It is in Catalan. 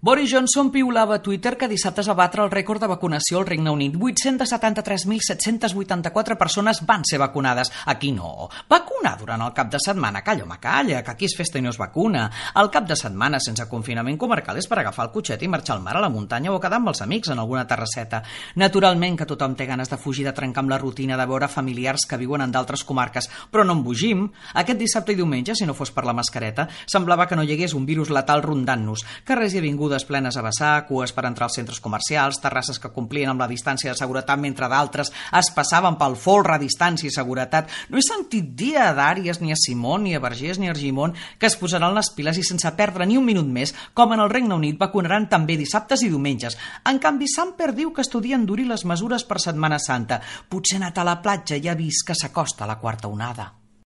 Boris Johnson piulava a Twitter que dissabte es va batre el rècord de vacunació al Regne Unit. 873.784 persones van ser vacunades. Aquí no. Vacunar durant el cap de setmana. Calla, home, calla, que aquí és festa i no es vacuna. El cap de setmana sense confinament comarcal és per agafar el cotxet i marxar al mar, a la muntanya o quedar amb els amics en alguna terrasseta. Naturalment que tothom té ganes de fugir, de trencar amb la rutina, de veure familiars que viuen en d'altres comarques, però no embogim. Aquest dissabte i diumenge, si no fos per la mascareta, semblava que no hi hagués un virus letal rondant-nos. Carrers i avingudes plenes a vessar, cues per entrar als centres comercials, terrasses que complien amb la distància de seguretat mentre d'altres es passaven pel folre a distància i seguretat. No he sentit dir a Dàries, ni a Simón, ni a Vergés, ni a Argimon que es posaran les piles i sense perdre ni un minut més, com en el Regne Unit, vacunaran també dissabtes i diumenges. En canvi, Samper diu que estudien endurir les mesures per Setmana Santa. Potser ha anat a la platja i ha vist que s'acosta la quarta onada.